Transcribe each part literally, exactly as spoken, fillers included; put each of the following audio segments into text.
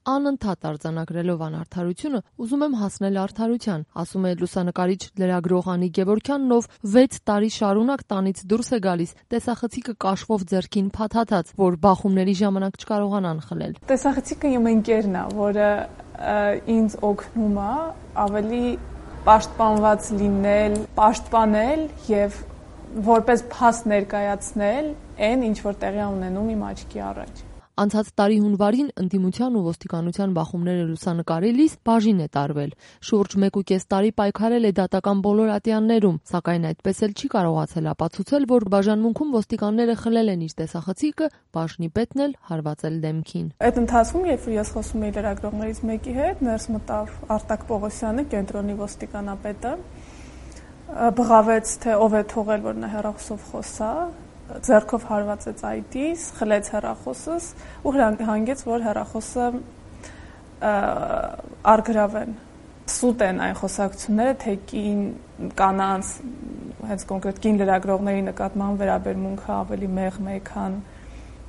Անընդհատ արձանագրելով անարդարությունը, ուզում եմ հասնել արդարության, ասում է լուսանկարիչ լրագրող Անի Գևորգյանն, ով վեց տարի շարունակ տանից դուրս է գալիս տեսախցիկը կաշվով ձեռքին փաթաթած, որ բախումների ժամանակ չկարողանան խլել։ Տեսախցիկը իմ ընկերն է, որը ինձ օգնում է ավելի պաշտպանված լինել, պաշտպանել եւ որպես փաստ ներկայացնել այն, ինչ որ տեղի ունենում իմ աչքի առաջ։ Անցած տարի հունվարին ընդդիմության ու ոստիկանության բախումները լուսանկարելիս բաժին է տարվել։ Շուրջ մեկ ու կես տարի պայքարել է դատական բոլոր ատյաններում, սակայն այդպես էլ չի կարողացել ապացուցել, որ բաժանմունքում ոստիկանները խլել են իր տեսախցիկը, բաժնի պետն էլ հարվածել դեմքին։ Այդ ընթացքում, երբ որ ես խոսում էի լրագրողներից մեկի հետ, ներս մտավ Արտակ Պողոսյանը, կենտրոնի ոստիկանապետը, բղավեց, թե ով է թողել, որ նա հեռախոսով խոսա, ձեռքով հարվածեց այդիս, խլեց հեռախոսս ու հանգեց, որ հեռախոսը արգրավեն։ Սուտ են այն խոսակցությունները, թե կին կանանց, հենց կոնկրետ կին լրագրողների նկատմամբ վերաբերմունքը ավելի մեղմ է, քան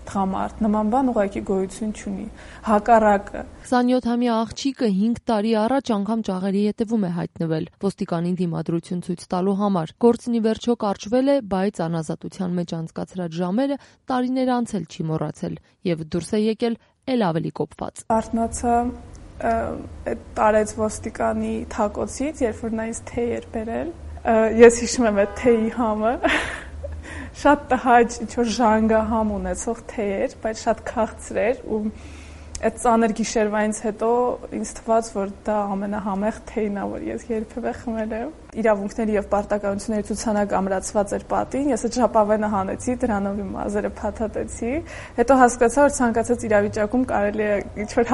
տղամարդ, նման բան ուղղակի գոյություն չունի, հակառակը։ քսանյոթամյա աղջիկը հինգ տարի առաջ անգամ ճաղերի ետևում է հայտնվել ոստիկանին դիմադրություն ցույց տալու համար։ Գործն ի վերջո կարճվել է, բայց անազատության մեջ անցկացրած ժամերը տարիներ անց էլ չի մոռացել եւ դուրս է եկել էլ ավելի կոպված։ Արթնացա այդ տարեց ոստիկանի թակոցից, երբ որ նա ինձ թեյ էր բերել։ Ես հիշում եմ այդ թեյի համը։ Շատ տհաճ, ինչ-որ ժանգահամ ունեցող թեյ էր, բայց շատ քաղցր էր ու այդ ծանր գիշերվայից հետո ինձ թվաց, որ դա ամենահամեղ թեյն է, որ ես երբևէ խմել եմ։ Իրավունքների եւ պարտականությունների ցուցանակ ամրացված էր պատին, ես այդ ժապավենը հանեցի, դրանով իմ մազերը փաթաթեցի, հետո հասկացա, որ ցանկացած իրավիճակում կարելի է ինչ-որ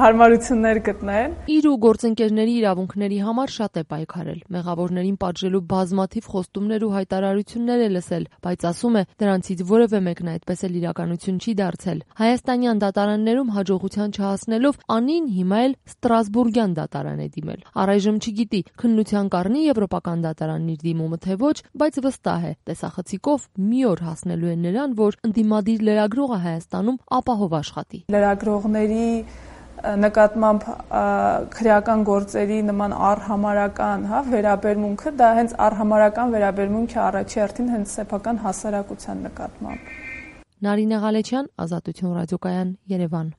հարմարություններ գտնել։ Իր ու գործընկերների իրավունքների համար շատ է պայքարել, մեղավորներին պատժելու բազմաթիվ խոստումներ ու հայտարարություններ է լսել, բայց ասում է, դրանցից որևէ մեկն այդպես էլ իրականություն չի դարձել։ Հայաստանյան դատարաններում հաջողության չհասնելով Անին հիմա էլ Ստրասբուրգյան դատարան է դիմել։ Առայժմ չգիտի, քննության կառնի եվրոպական դատարանն իր դիմումը թե ոչ, բայց վստահ է, տեսախցիկով մի օր հասնելու է նրան, որ ընդդիմադիր լրագրողը Հայաստանում ապահով աշխատի։ Լրագրողների նկատմամբ քրեական գործերի նման առհամարական, հա, վերաբերմունքը դա հենց առհամարական վերաբերմունք է առաջի հերթին հենց սեփական հասարակության նկատմամբ։ Նարինե Ղալեչյան, Ազատություն ռադիոկայան, Երևան։